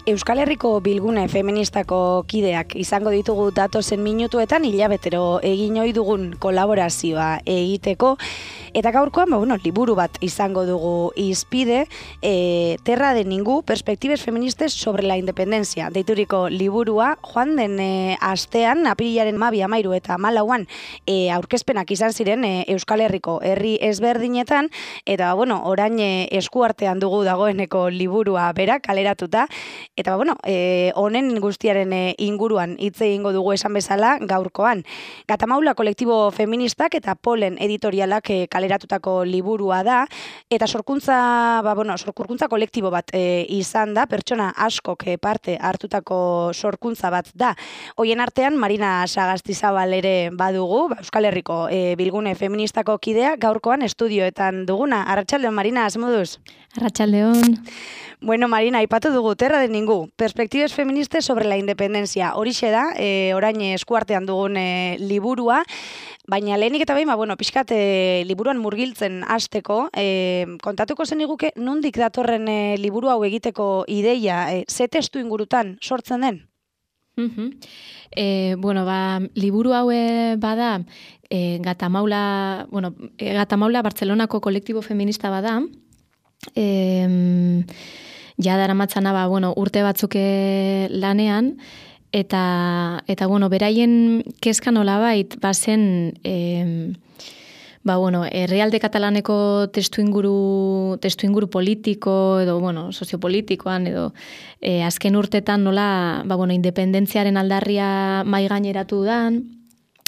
Euskal Herriko Bilgune Feministako kideak izango ditugu datozen minutuetan hilabetero egin ohi dugun kolaborazioa egiteko, eta gaurkoan liburu bat izango dugu hizpide, Terra de Ningú, perspektibes feministes sobre la independencia, deituriko liburua. Joan den astean, apirilaren 12, 13 eta 14 aurkezpenak izan ziren Euskal Herriko herri ezberdinetan, eta orain eskuartean dugu dagoeneko liburua bera kaleratuta. Eta honen guztiaren inguruan hitz egingo dugu esan bezala gaurkoan. Gatamaula kolektibo feministak eta Polen editorialak kaleratutako liburua da, eta sorkuntza kolektibo bat izan da, pertsona askok parte hartutako sorkuntza bat da. Hoien artean Marina Sagastizabal ere badugu, Euskal Herriko Bilgune Feministako kidea, gaurkoan estudioetan duguna. Arratsaldeon, Marina, zemoduz? Arratsaldeon. Bueno, Marina, aipatu dugu Terra de Ningú, perspektibes feministes sobre la independencia. Horixe da, orain eskuartean dugun liburua, baina lehenik eta behin, pixkat liburuan murgiltzen hasteko, kontatuko zeniguke nondik datorren liburu hau egiteko ideia, ze testu ingurutan sortzen den? Liburu hau bada, Gatamaula Bartzelonako kolektibo feminista bada, ja daramatzana urte batzuk lanean, eta beraien kezka nolabait bazen herrialde katalaneko testuinguru politiko edo soziopolitikoan edo azken urtetan nola independentziaren aldarria mahai gaineratu dan.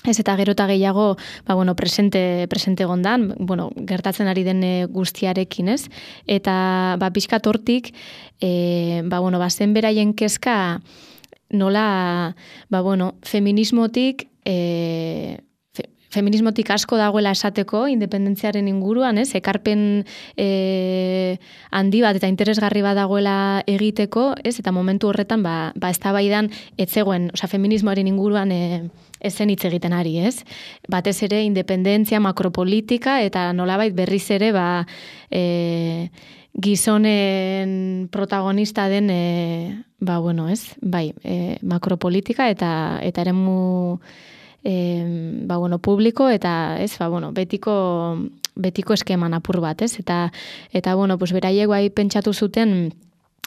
Ez eta gero eta gehiago presente gondan, gertatzen ari den guztiarekin, ez? Eta pixkat hortik, zen beraien kezka nola, feminismotik asko dagoela esateko independentziaren inguruan, ez? Ekarpen handi bat eta interesgarri bat dagoela egiteko, ez? Eta momentu horretan eztabaidan ez zegoen, feminismoaren inguruan ez zen hitz egiten ari, ez? Batez ere independentzia, makropolitika eta nolabait berriz ere gizonen protagonista den makropolitika eta eremu publiko eta betiko eskeman apur bat, ez? Eta beraiek pentsatu zuten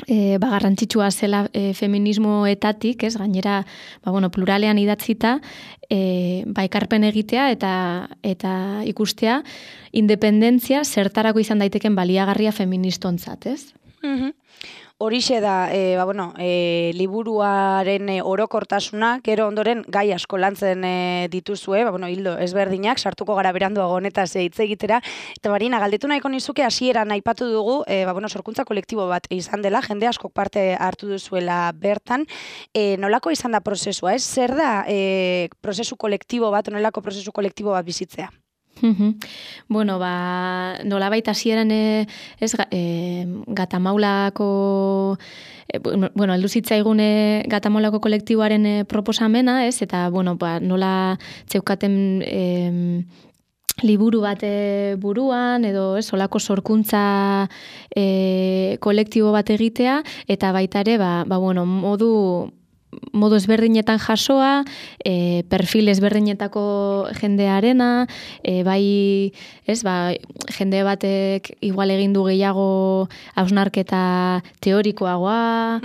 garrantzitsua zela feminismoetatik, ez? Gainera, pluralean idatzita, ekarpen egitea eta ikustea independentzia zertarako izan daiteken baliagarria feministontzat, ez? Horixe da, liburuaren orokortasuna, gero ondoren gai asko lantzen dituzue, hildo ezberdinak, sartuko gara beranduago honetaz hitz egitera. Eta Marina, galdetu nahiko nizuke hasieran aipatu dugu, sorkuntza kolektibo bat izan dela, jende askok parte hartu duzuela bertan. Nolako izan da prozesua, ez? Zer da prozesu kolektibo bat, nolako prozesu kolektibo bat bizitzea? Nolabait hasieran Gatamaulako heldu zitzaigun Gatamaulako kolektiboaren proposamena, ez? Eta nola zeukaten liburu bat buruan edo olako sorkuntza kolektibo bat egitea, eta baita ere modu ezberdinetan jasoa, perfil ezberdinetako jendearena, jende batek igual egin du gehiago hausnarketa teorikoagoa,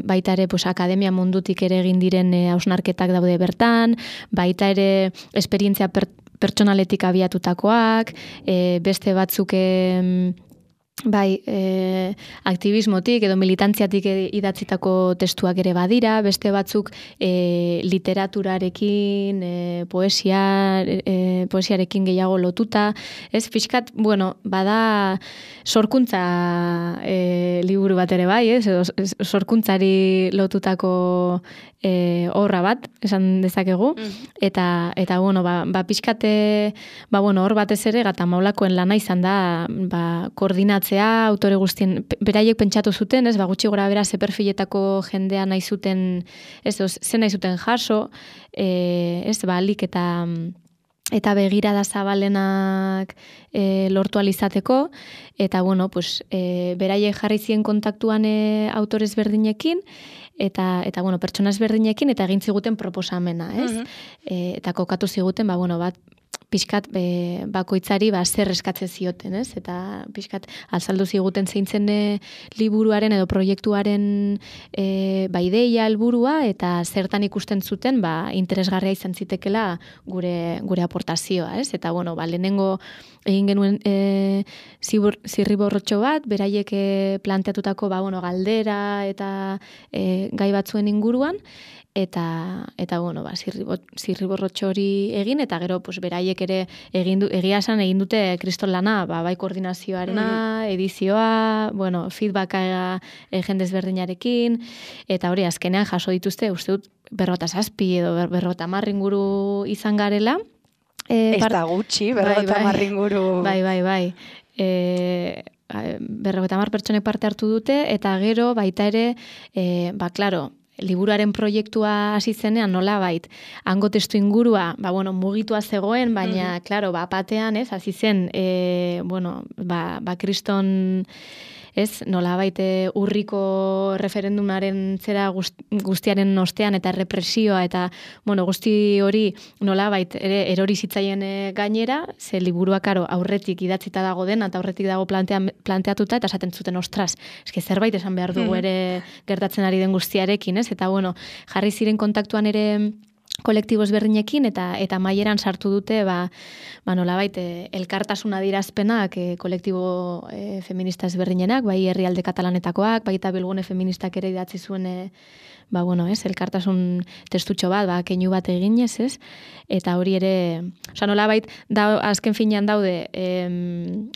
baita ere akademia mundutik ere egin diren hausnarketak daude bertan, baita ere esperientzia pertsonaletik abiatutakoak, beste batzuk aktivismotik edo militantziatik idatzitako testuak ere badira, beste batzuk literaturarekin, poesiarekin gehiago lotuta, ez? Fiskat, bada sorkuntza liburu bat ere bai, ez? Sorkuntzari lotutako obra bat, esan dezakegu, eta pixkate, hor batez ere Gatamaulakoen lana izan da, koordinatzea, autore guztien, beraiek pentsatu zuten, ez, gutxi gora bera ze perfiletako jendea nahi zuten, ez, ze nahi zuten jaso, ez, alik eta eta begirada zabalenak lortu alizateko, eta bueno, pues, beraiek jarri zien kontaktuan autores berdinekin, eta bueno, pertsona ezberdinekin, eta egin ziguten proposamena, ez? Eta kokatu ziguten, bueno, bat, pixkat bakoitzari zer eskatzen zioten, ez? Eta pixkat azaldu ziguten zeintzen liburuaren edo proiektuaren ideia, helburua, eta zertan ikusten zuten interesgarria izan zitekela gure aportazioa, ez? Eta bueno, lehenengo egin genuen zirriborrotxo bat, beraiek planteatutako galdera eta gai batzuen inguruan, eta bueno, zirriborrotxo hori egin, eta gero pues, beraiek ere egia esan egin dute kriston lana, bai koordinazioarena, edizioa, bueno, feedbacka jendez berdinarekin, eta hori azkenean jaso dituzte, uste dut 57 edo 50 inguru izan garela. Ez da gutxi, 50 inguru. Bai. 50 pertsonek parte hartu dute, eta gero baita ere, klaro, liburuaren proiektua hasi zenean nolabait hango testu ingurua, mugitua zegoen, baina claro, batean, ez, hasi zen kriston, ez, nolabait urriko referendumaren zera guztiaren ostean eta represioa eta guzti hori nolabait ere erori zitzaien gainera, ze liburua karo aurretik idatzita dago dena eta aurretik dago planteatuta eta esaten zuten ostras, eske zerbait esan behar dugu ere gertatzen ari den guztiarekin, ez? Eta jarri ziren kontaktuan ere kolektibo ezberdinekin eta maieran sartu dute nolabait elkartasuna adierazpenak kolektibo feminista ezberdinenak, bai herrialde katalanetakoak, baita Bilgune feministak ere idatzi zuen elkartasun testutxo bat, keinu bat eginez, ez? Eta hori ere, nolabait azken finean daude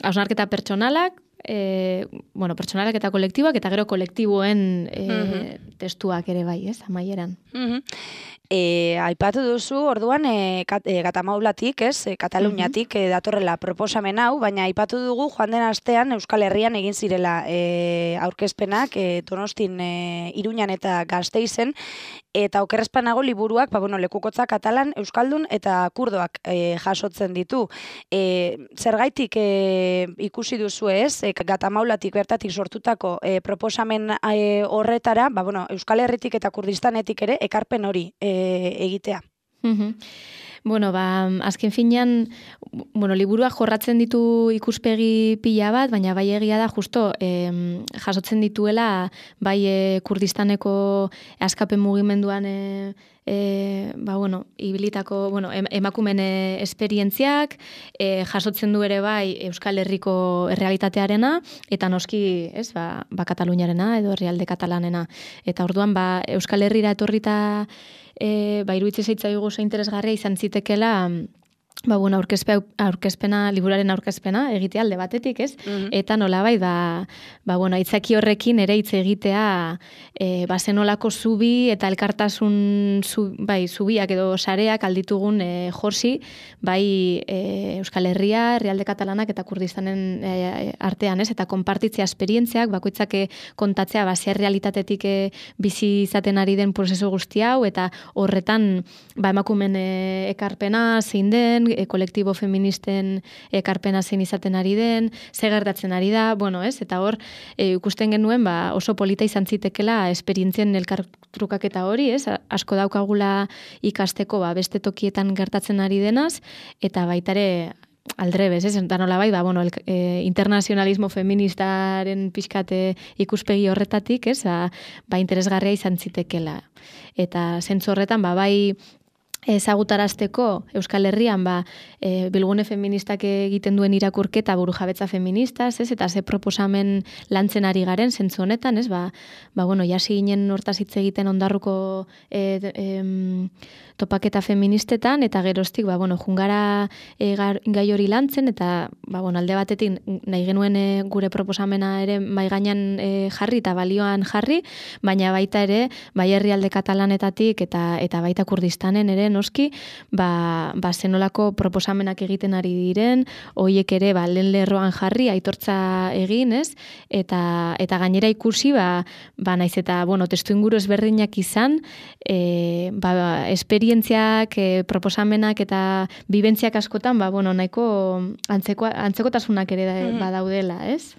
hausnarketa pertsonalak, pertsonalak eta kolektiboak, eta gero kolektiboen testuak ere bai, ez, amaieran. Aipatu duzu, orduan, Gatamaulatik, ez, Kataluniatik datorrela proposamen hau, baina aipatu dugu joan den astean Euskal Herrian egin zirela aurkezpenak Donostin, Iruñan eta Gasteizen, eta okerrezpanago liburuak, lekukotza katalan, euskaldun eta kurdoak jasotzen ditu. Zergaitik ikusi duzu ez, Gatamaulatik bertatik sortutako proposamen horretara, Euskal Herritik eta Kurdistanetik ere ekarpen hori egitea. Azken finean, liburuak jorratzen ditu ikuspegi pila bat, baina bai egia da justo jasotzen dituela bai Kurdistaneko askapen mugimenduan ibilitako, emakumen esperientziak, jasotzen du ere bai Euskal Herriko errealitatearena, eta noski, ez, Kataluniarena edo herrialde katalanena. Eta orduan, Euskal Herrira etorrita iruditzen zaitzaigu oso interesgarria izan zitekela aurkezpena, liburaren aurkezpena egitea alde batetik, ez? Eta nolabait aitzaki horrekin ere hitz egitea zenolako zubi eta elkartasun zubiak edo sareak alditugun jorsi Euskal Herria, herrialde katalanak eta Kurdistanen artean, ez? Eta konpartitzea esperientziak, bakoitzak kontatzea zer realitatetik bizi izaten ari den prozesu guzti hau, eta horretan emakumen ekarpena zein den, kolektibo feministen ekarpena zein izaten ari den, ze gertatzen ari da, ez? Eta hor, ikusten genuen, oso polita izan zitekela esperientzien elkartrukaketa hori, ez? Asko daukagula ikasteko, beste tokietan gertatzen ari denaz, eta baitare aldrebez, ez? Eta nolabait, internazionalismo feministaren pixkate ikuspegi horretatik, ez? Interesgarria izan zitekela. Eta zentzu horretan, ezagutarazteko Euskal Herrian Bilgune feministak egiten duen irakurketa burujabetza feministaz, ez? Eta ze proposamen lantzen ari garen zentzu honetan, ez? Jasi ginen hortaz hitz egiten Ondarruko topaketa feministetan, eta geroztik, jungara gai hori lantzen, eta alde batetik nahi genuen gure proposamena ere mai gainean jarri eta balioan jarri, baina baita ere, bai herrialde katalanetatik eta baita Kurdistanen ere noski, zenolako proposamenak egiten ari diren, hoiek ere lehen lerroan jarri, aitortza egin, ez? Eta gainera ikusi, naiz eta, testu inguru ezberdinak izan, esperientziak, proposamenak eta bibentziak askotan, nahiko antzekotasunak ere badaudela, ez?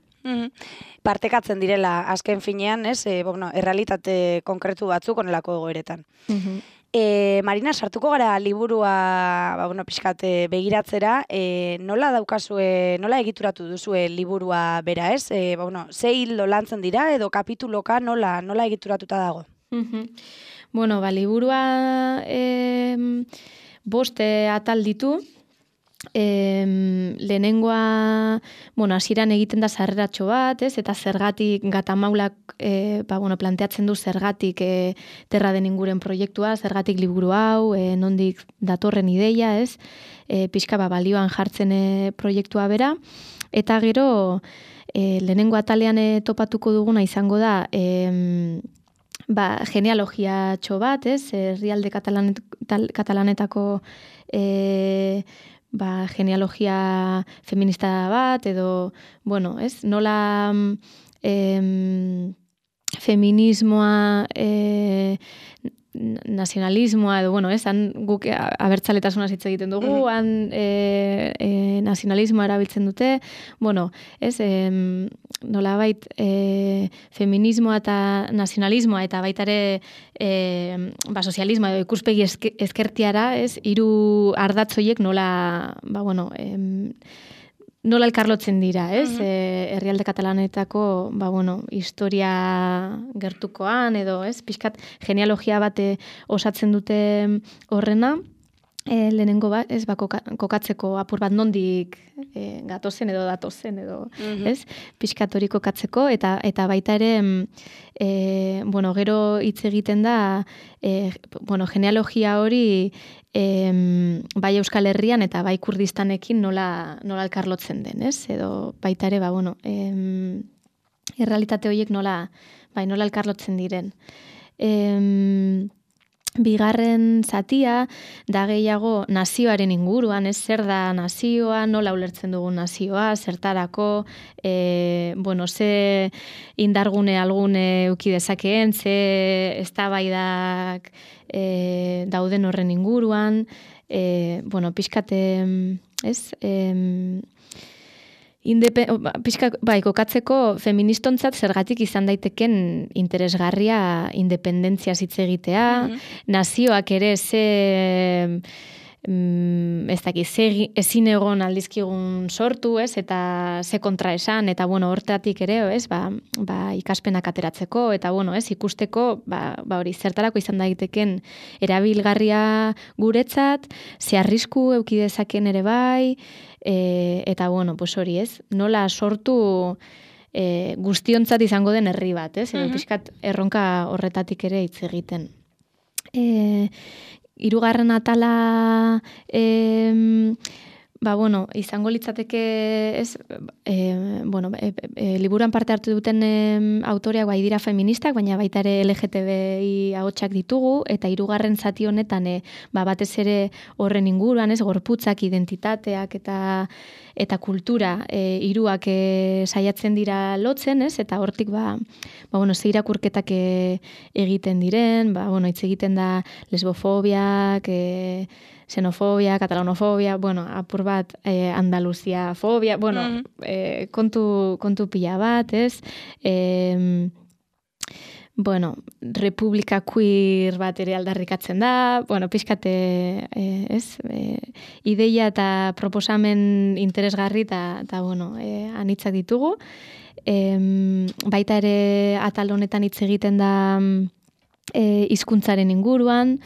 Partekatzen direla azken finean, ez? Errealitate konkretu batzuk onelako egoeretan. Marina, sartuko gara liburua, pixkat begiratzera, nola nola egituratu duzue liburua bera, ez? Ze hildo lantzen dira edo kapituloka nola egituratuta dago? Liburua 5 atal ditu. Lehenengoa, hasieran egiten da sarreratxo bat, ez? Eta zergatik Gatamaulak planteatzen du zergatik terra den inguren proiektua, zergatik liburu hau, nondik datorren ideia, ez? Pixka balioan jartzen proiektua bera. Eta gero, lehenengo atalean topatuko duguna izango da, genealogia txo bat, ez? Herrialde katalanetako genealogia feminista bat, edo, ez? Nola feminismoa, nazionalismoa, edo, ez? Guk abertzaletasuna hitz egiten dugu, nazionalismoa erabiltzen dute, ez? Nolabait feminismoa eta nazionalismoa, eta baita ere sozialismoa edo ikuspegi ezkertiara, ez? 3 ardatzoiek nola elkarlotzen dira, ez? Herrialde katalanetako, historia gertukoan, edo, ez? Pixkat genealogia bat osatzen dute horrena, lehenengo bat, ez? Kokatzeko apur bat nondik gatozen edo datozen, edo, ez? Pixkat hori kokatzeko, eta baita ere, gero hitz egiten da, genealogia hori, bai Euskal Herrian eta bai Kurdistanekin nola elkarlotzen den, ez? Edo baita ere, errealitate horiek nola elkarlotzen diren. Bigarren zatia, da gehiago nazioaren inguruan, ez? Zer da nazioa, nola ulertzen dugun nazioa, zertarako, ze indargune algune eduki dezakeen, ze eztabaidak dauden horren inguruan, pixkate, ez? Kokatzeko feministontzat zergatik izan daiteken interesgarria independentzia hitz egitea, nazioak ere ezin egon aldizkigun sortu, ez? Eta ze kontra esan, eta hortatik ere, ez? Ikaspenak ateratzeko, eta ez? Ikusteko, hori zertarako izan daiteken erabilgarria guretzat, ze arrisku eduki dezaken ere bai, eta hori, ez? Nola sortu guztiontzat izango den herri bat, ez? Edo pixkat erronka horretatik ere hitz egiten. 3. atala, izango litzateke, ez, liburuan parte hartu duten autoreak dira feministak, baina baita ere LGTBI ahotsak ditugu, eta 3. zati honetan, batez ere horren inguruan, ez, gorputzak, identitateak eta kultura, 3ak saiatzen dira lotzen, ez, eta hortik, ze irakurketak egiten diren, hitz egiten da lesbofobiak, xenofobia, katalanofobia, apur bat Andaluzia-fobia, kontu pila bat, ez? Republika queer bat ere aldarrikatzen da, pixkate, ez? Ideia eta proposamen interesgarri eta anitzak ditugu. Baita ere atal honetan hitz egiten da hizkuntzaren inguruan,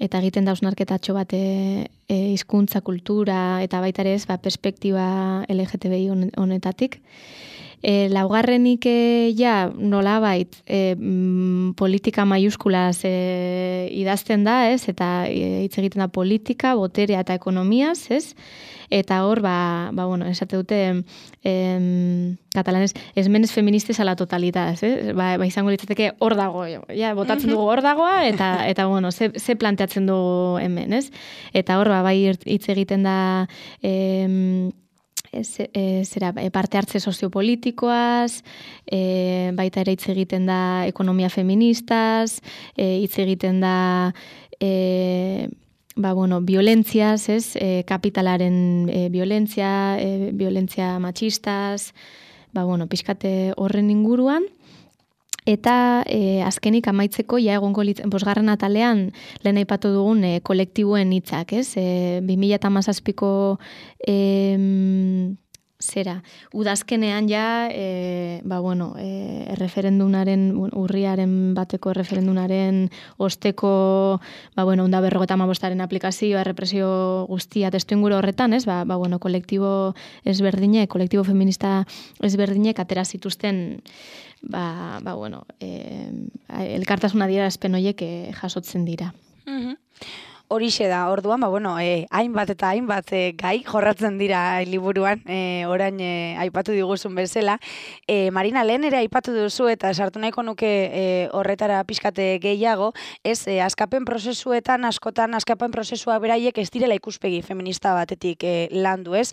eta egiten da hausnarketatxo bat hizkuntza, kultura, eta baita ere ez, perspektiba LGTBI honetatik. Laugarrenik ja nolabait politika maiuskulaz idazten da, ez? Eta hitz egiten da politika, boterea eta ekonomiaz, ez? Eta hor, bueno, esate dute katalanez, esmenes feministes a la totalidad, ez? Izango litzateke hor dago, ja, botatzen dugu hor dagoa, eta bueno, ze planteatzen dugu hemen, ez? Eta hor, bai hitz egiten da parte hartze soziopolitikoaz, baita ere hitz egiten da ekonomia feministaz, hitz egiten da violentziaz, ez? Kapitalaren violentzia matxistaz, pixkate horren inguruan. Eta azkenik amaitzeko, ja egongo bosgarren atalean lehen aipatu dugun kolektiboen hitzak, ez? 2017ko udazkenean ja, erreferendunaren, urriaren bateko erreferendunaren osteko, 155aren aplikazioa, errepresio guztia testuinguru horretan, ez? Kolektibo ezberdinek, kolektibo feminista ezberdinek atera zituzten elkartasun adierazpen horiek jasotzen dira. Horixe da, orduan, hainbat eta hainbat gai jorratzen dira liburuan, orain aipatu diguzun bezala. Marina, lehen ere aipatu duzu eta sartu nahiko nuke horretara pixkate gehiago, ez, askapen prozesuetan, askotan askapen prozesua beraiek ez direla ikuspegi feminista batetik landu, ez?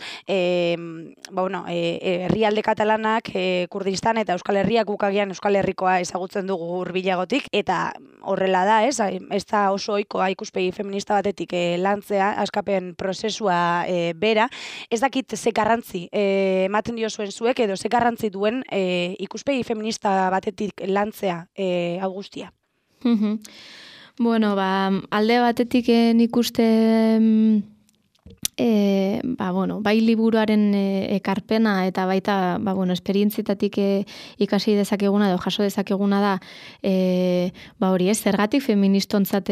Herrialde katalanak, Kurdistan eta Euskal Herriak gukagian Euskal Herrikoa ezagutzen dugu hurbilagotik, eta horrela da, ez da oso ohikoa ikuspegi feminista batetik lantzea, askapen prozesua bera. Ez dakit ze garrantzi ematen dio zuen zuek, edo ze garrantzi duen ikuspegi feminista batetik lantzea hau guztia. Alde batetik nik uste bai liburuaren ekarpena eta baita esperientzietatik ikasi dezakeguna edo jaso dezakeguna da hori ez, zergatik feministontzat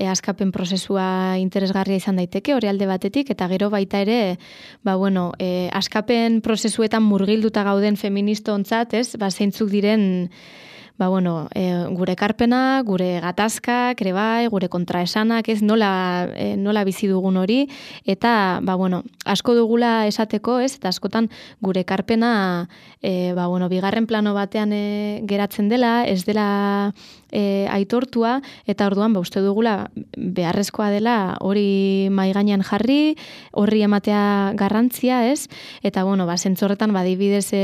askapen prozesua interesgarria izan daiteke, hori alde batetik, eta gero baita ere askapen prozesuetan murgilduta gauden feministontzat, ez, zeintzuk diren gure ekarpena, gure gatazkak, ere bai, gure kontraesanak, ez nola bizi dugun hori, eta asko dugula esateko, ez, eta askotan gure ekarpena bigarren plano batean geratzen dela, ez dela aitortua, eta orduan uste dugula beharrezkoa dela hori mahai gainean jarri, horri ematea garrantzia, ez, eta zentzorretan badibidez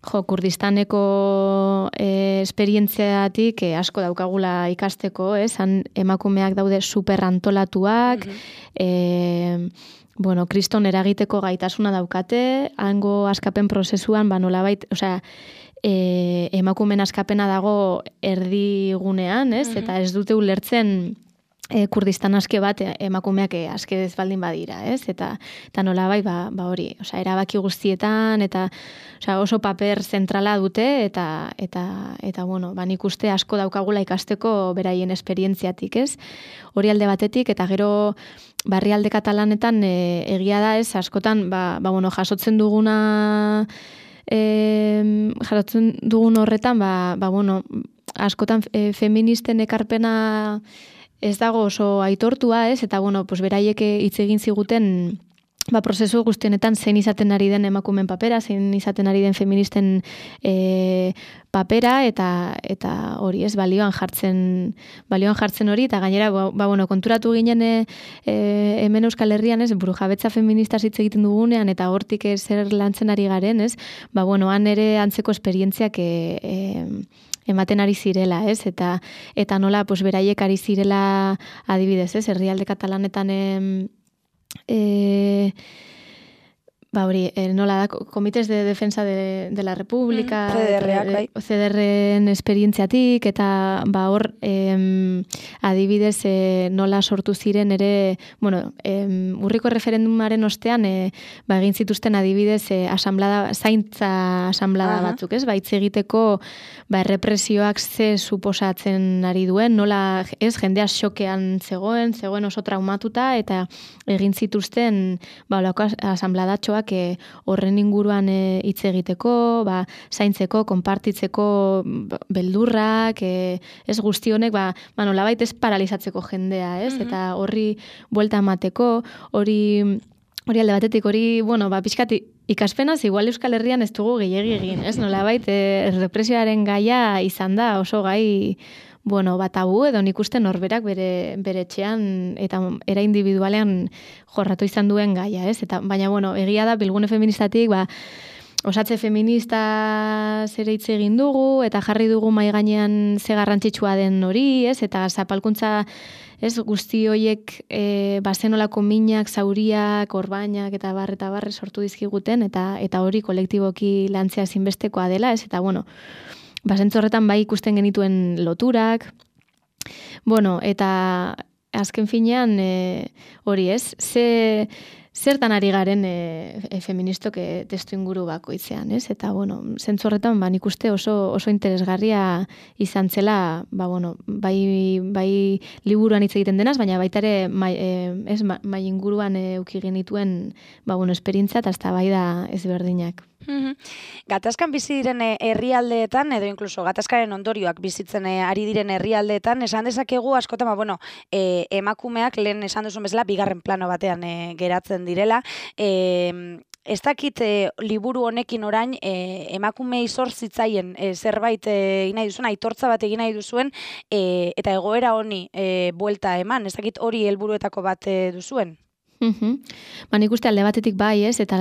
Kurdistaneko esperientziatik asko daukagula ikasteko, han emakumeak daude superantolatuak, kriston eragiteko gaitasuna daukate, hango askapen prozesuan, nolabait, emakumen askapena dago erdigunean, eta ez dute ulertzen Kurdistan aske bat emakumeak aske ez baldin badira, ez? Eta nolabait hori, erabaki guztietan eta oso paper zentrala dute eta nik uste asko daukagula ikasteko beraien esperientziatik, ez? Hori alde batetik eta gero barrialde katalanetan egia da, ez? Askotan jasotzen dugun horretan askotan feministen ekarpena ez dago oso aitortua, ez? Eta, beraiek hitz egin ziguten prozesu guztionetan zein izaten ari den emakumen papera, zein izaten ari den feministen papera, eta hori, ez, balioan jartzen hori, eta gainera, konturatu ginen hemen Euskal Herrian, ez, burujabetza feminista hitz egiten dugunean, eta hortik zer lantzen ari garen, ez, han ere antzeko esperientziak ematen ari zirela, ez? Eta nola, beraiek ari zirela adibidez, ez? Herrialde katalanetan nola da, Comités de Defensa de la República, CDR-en esperientziatik, eta hor adibidez nola sortu ziren ere, urriko referendumaren ostean egin zituzten adibidez zaintza asamblada batzuk, ez? Hitz egiteko errepresioak ze suposatzen ari duen, nola ez jendea xokean zegoen oso traumatuta, eta egin zituzten asamladatxoak liburuak horren inguruan hitz egiteko, zaintzeko, konpartitzeko beldurrak, ez guzti honek, nolabait ez paralizatzeko jendea, ez? Eta horri buelta emateko, hori alde batetik, pixkat ikaspenaz, igual Euskal Herrian ez dugu gehiegi egin, ez? Nolabait, represioaren gaia izan da oso gai, tabu, edo nik uste norberak bere etxean eta era individualean jorratu izan duen gaia, ez? Baina, egia da, Bilgune Feministatik, osatze feminista zere hitz egin dugu, eta jarri dugu mahai gainean ze garrantzitsua den hori, ez? Eta zapalkuntza, ez, guzti horiek bazenolako minak, zauriak, orbainak eta barre sortu dizkiguten, eta hori kolektiboki lantzea zinbestekoa dela, ez? Eta, zentzu horretan bai ikusten genituen loturak, eta azken finean hori, ez? Zertan ari garen feministok testu inguru bakoitzean, ez? Eta, zentzu horretan, nik uste oso interesgarria izan zela, bai liburuan hitz egiten denaz, baina baita ere mai inguruan eduki genituen, esperientzia eta eztabaida ezberdinak. Gatazkan bizi diren herrialdeetan, edo inkluso gatazkaren ondorioak bizitzen ari diren herrialdeetan, esan dezakegu askotan, emakumeak lehen esan duzun bezala, bigarren plano batean geratzen direla. Ez dakit liburu honekin orain emakume izor zitzaien zerbait egin nahi duzuen, aitortza bat egin nahi duzuen, eta egoera honi buelta eman, ez dakit hori helburuetako bat duzuen? Nik uste alde batetik bai, ez, eta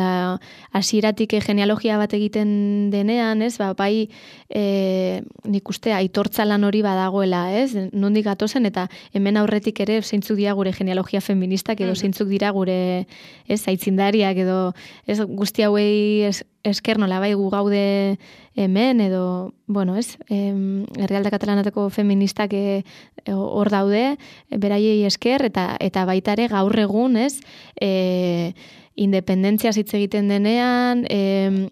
hasieratik genealogia bat egiten denean, ez, bai nik uste aitortza lan hori badagoela, ez, nondik gatozen, eta hemen aurretik ere zeintzuk dira gure genealogia feministak, edo zeintzuk dira gure, ez, aitzindariak, edo, ez, guzti hauei esker nola bai gu gaude hemen, edo, ez, herrialde katalanateko feministak hor daude, beraiei esker, eta baita ere gaur egun, ez, independentzia hitz egiten denean,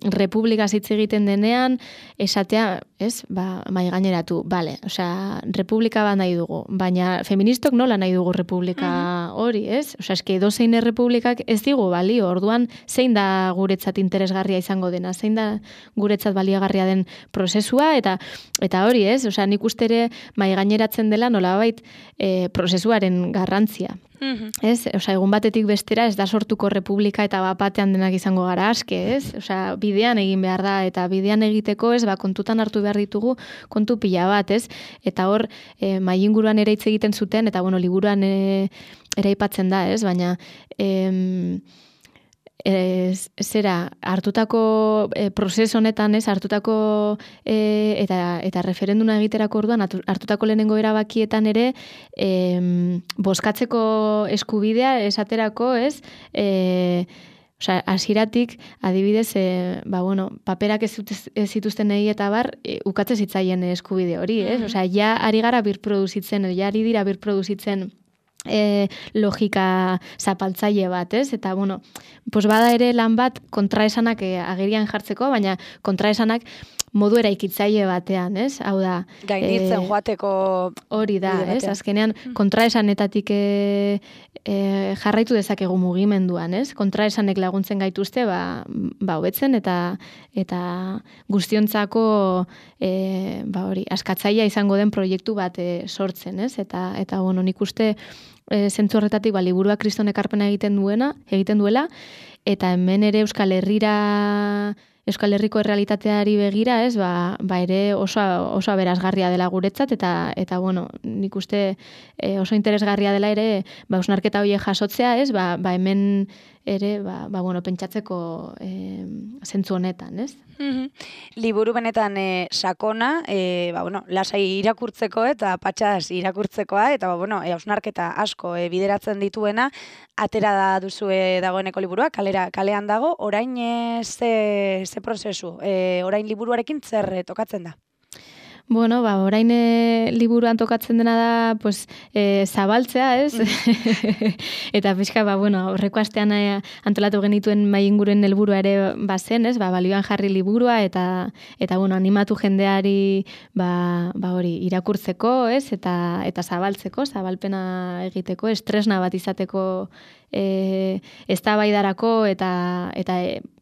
republika hitz egiten denean, esatea, ez, mai gaineratu, bale, osea, republika bat nahi dugu, baina feministok nola nahi dugu republika hori, ez? Osea, eske edozein errepublikak ez digu balio, orduan zein da guretzat interesgarria izango dena, zein da guretzat baliagarria den prozesua, eta hori, ez? Osea, nik uste ere mai gaineratzen dela nolabait prozesuaren garrantzia. Ez, osea, egun batetik bestera ez da sortuko republika eta batean denak izango gara aske, ez? Osea, bidean egin behar da, eta bidean egiteko, ez, kontutan hartu behar ditugu kontu pila bat, ez? Eta hor, mai inguruan ere hitz egiten zuten, eta, liburuan ere aipatzen da, ez? Baina, hartutako prozesu honetan, ez, hartutako eta referenduna egiterako orduan, hartutako lehenengo erabakietan ere, bozkatzeko eskubidea esaterako, ez, osea, hasieratik adibidez, paperak ez zituzten egi eta bar, ukatze zitzaien eskubide hori, ez? Osea, ja ari gara birproduzitzen, ja ari dira birproduzitzen logika zapaltzaile bat, ez? Eta, bada ere lan bat kontraesanak agerian jartzeko, baina kontraesanak modu eraikitzaile batean, ez? Hau da... Gainditzen joateko... Hori da, ez? Azkenean, kontraesanetatik jarraitu dezakegu mugimenduan, ez? Kontraesanek laguntzen gaituzte, hobetzen eta guztiontzako hori, askatzailea izango den proiektu bat sortzen, ez? Eta nik uste zentzu horretatik liburua kriston ekarpena egiten duela, eta hemen ere Euskal Herriko errealitateari begira, ez, ere oso aberasgarria dela guretzat, eta nik uste oso interesgarria dela ere, hausnarketa horiek jasotzea, ez, hemen ere, pentsatzeko zentzu honetan, ez? Liburu benetan sakona, lasai irakurtzeko eta patxas irakurtzekoa, eta hausnarketa asko bideratzen dituena, atera da duzue dagoeneko liburua, kalean dago, orain ze prozesu, orain liburuarekin zer tokatzen da? Bueno, orain liburuan tokatzen dena da, pues, zabaltzea, ez? Eta pixka, aurreko astean antolatu genituen mai inguruen helburua ere bazen, ez? Balioan jarri liburua eta animatu jendeari hori irakurtzeko, ez? Eta zabaltzeko, zabalpena egiteko, estresna bat izateko eztabaidarako eta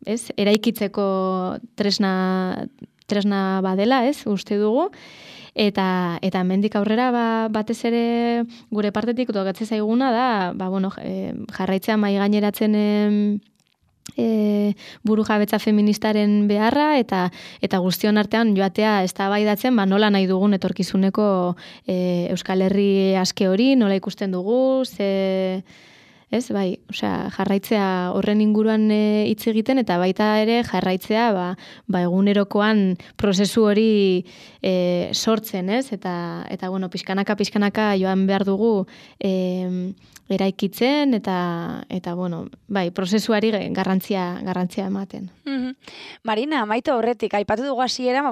ez? Eraikitzeko tresna badela, ez, uste dugu, eta mendik aurrera batez ere gure partetik tokatzen zaiguna da, jarraitzea mai gaineratzen burujabetza feministaren beharra eta guztion artean joatea eztabaidatzen nola nahi dugun etorkizuneko Euskal Herri aske hori, nola ikusten dugu, ez, jarraitzea horren inguruan hitz egiten eta baita ere jarraitzea egunerokoan prozesu hori sortzen, ez? Eta pixkanaka joan behar dugu eraikitzen eta prozesuari garrantzia ematen. Marina, Maite horretik, aipatu dugu hasiera,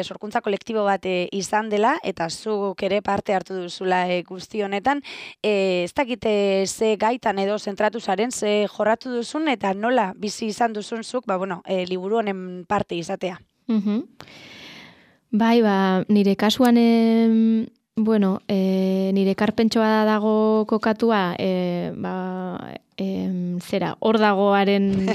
sorkuntza kolektibo bat izan dela eta zuk ere parte hartu duzula guzti honetan. Ez dakite ze gaitan edo zentratu zaren, ze jorratu duzun eta nola bizi izan duzun zuk, liburu honen parte izatea. Nire kasuan, nire ekarpentsoa dago kokatua, hor dagoaren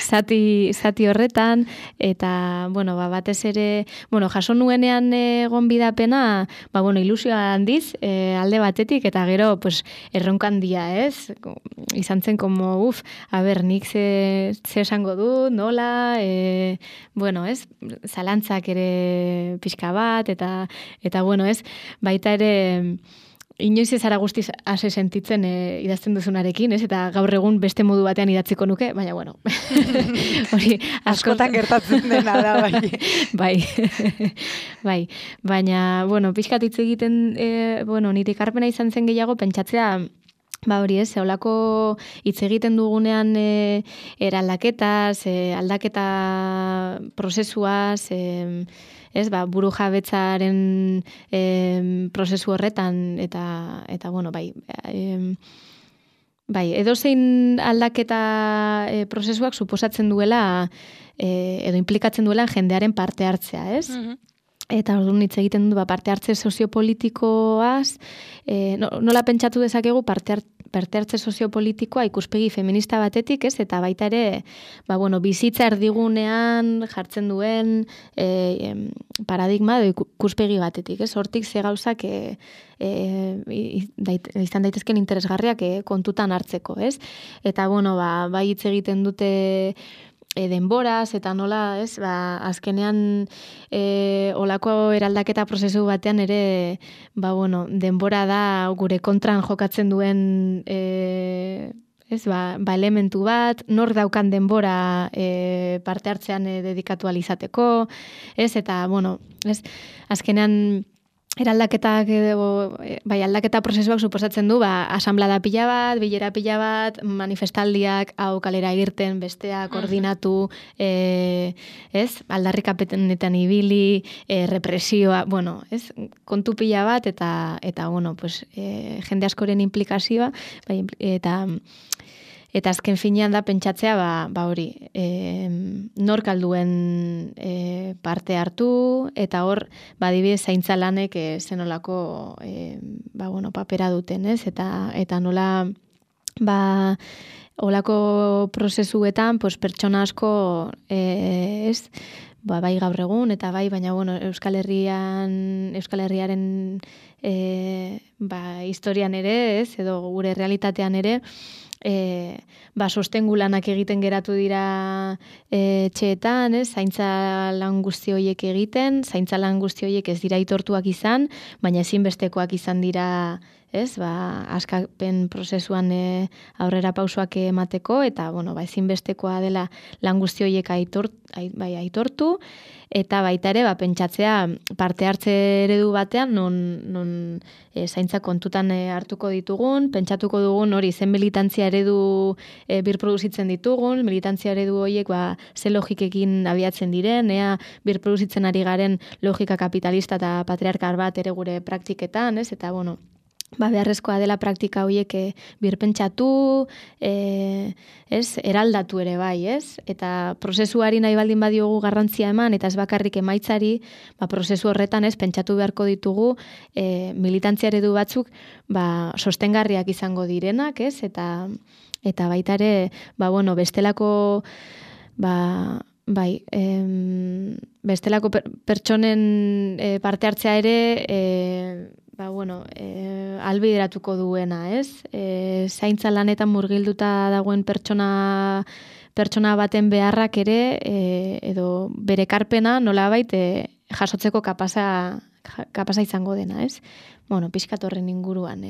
zati horretan, eta, batez ere, jaso nuenean gonbidapena, ilusioa handiz, alde batetik, eta gero, erronka handia, ez? Izan zen, nik ze esango du, nola, ez? Zalantzak ere pixka bat, eta, ez? Baita ere, inoiz ez ara guztiz ase sentitzen idazten duzunarekin, ez? Eta gaur egun beste modu batean idatziko nuke, baina hori askotan gertatzen dena da, bai. Baina, pixkat hitz egiten, nire ekarpena izan zen gehiago pentsatzea, hori ez, holako hitz egiten dugunean eraldaketaz, aldaketa prozesuaz, ez, burujabetzaren prozesu horretan, eta edozein aldaketa prozesuak suposatzen duela, edo implikatzen duela jendearen parte hartzea, ez? Eta orduan hitz egiten du parte hartze soziopolitikoaz, nola pentsatu dezakegu parte hartze soziopolitikoa ikuspegi feminista batetik, ez? Eta baita ere, bizitza erdigunean jartzen duen paradigma edo ikuspegi batetik, ez? Hortik ze gauzak izan daitezken interesgarriak kontutan hartzeko, ez? Eta bai hitz egiten dute denboraz, eta nola, ez, azkenean olako eraldaketa prozesu batean ere, denbora da gure kontran jokatzen duen elementu bat, nor daukan denbora parte hartzean dedikatu alizateko, ez, eta, ez, azkenean eraldaketak aldaketa prozesuak suposatzen du, asanblada pila bat, bilera pila bat, manifestaldiak, hau kalera irten, bestea koordinatu, ez, aldarrikapenetan ibili, represioa, ez, kontu pila bat, eta jende askoren implikazioa, eta azken finean da pentsatzea, hori, nork alduen parte hartu, eta hor, adibidez, zaintza lanek zenolako papera duten, ez? Eta nola, olako prozesuetan, pertsona asko, ez? Bai gaur egun, eta baina, Euskal Herriaren historian ere, ez? Edo gure realitatean ere, sostengu lanak egiten geratu dira etxeetan, zaintza lan guzti horiek egiten, zaintza lan guzti horiek ez dira aitortuak izan, baina ezinbestekoak izan dira ez? Askapen prozesuan aurrera pausoak emateko, eta, ezinbestekoa dela lan guzti horiek aitortu, eta baita ere, pentsatzea parte hartze eredu batean, non zaintza kontutan hartuko ditugun, pentsatuko dugun hori zen militantzia eredu birproduzitzen ditugun, militantzia eredu horiek ze logikekin abiatzen diren, ea birproduzitzen ari garen logika kapitalista eta patriarkal bat ere gure praktiketan, ez? Eta, beharrezkoa dela praktika horiek birpentsatu, eraldatu ere bai, ez? Eta prozesuari nahi baldin badiogu garrantzia eman, eta ez bakarrik emaitzari, prozesu horretan pentsatu beharko ditugu militantzia eredu batzuk sostengarriak izango direnak, ez? Eta baita ere, bestelako bestelako pertsonen parte hartzea ere albideratuko duena, ez? Zaintza lanetan murgilduta dagoen pertsona baten beharrak ere, edo bere ekarpena nolabait jasotzeko kapasa izango dena, ez? Pixkat horren inguruan.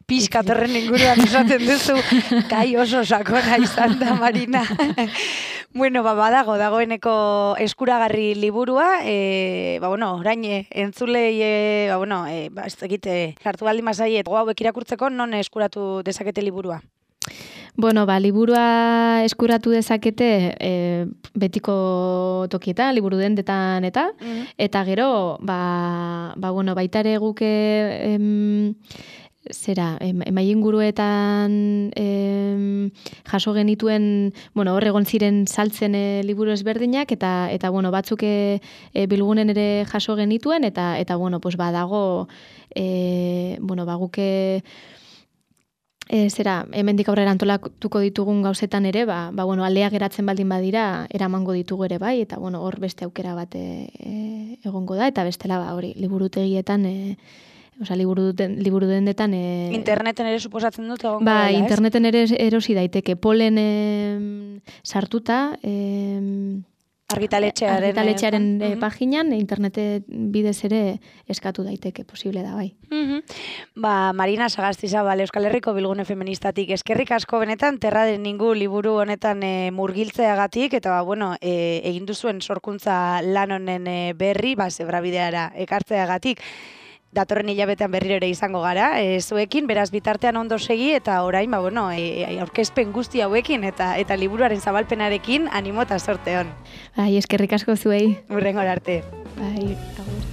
Pixkat horren inguruan esaten duzu, kai oso sakona izan da, Marina. Dagoeneko eskuragarri liburua, orain entzulei, ez egite, hartu baldin mazaiet, hauek irakurtzeko, non eskuratu dezakete liburua? Liburua eskuratu dezakete betiko tokietan, liburu dendetan eta gero, baita ere guke emainguruetan jaso genituen, hor egon ziren saltzen liburu ezberdinak, eta batzuk bilgunen ere jaso genituen, eta badago, guke hemendik aurrera antolatuko ditugun gauzetan ere, aldea geratzen baldin badira, eramango ditugu ere bai, eta hor beste aukera bat egongo da, eta bestela hori, liburutegietan, liburu dendetan... Interneten ere suposatzen dut egongo dela, ez? Interneten ere erosi daiteke, Polen sartuta... Argitaletxearen paginan, internet bidez ere eskatu daiteke, posible da, bai. Marina Sagastizabal, Euskal Herriko Bilgune Feministatik, eskerrik asko benetan, Terra del Ningú liburu honetan murgiltzeagatik, eta egin duzuen sorkuntza lan honen berri, zebrabideara ekartzeagatik, datorren hilabetean berriro ere izango gara, zuekin, beraz bitartean ondo segi, eta orain, aurkezpen guzti hauekin, eta liburuaren zabalpenarekin, animo eta sorte hon. Eskerrik asko zuei. Hurrengora arte. Agur.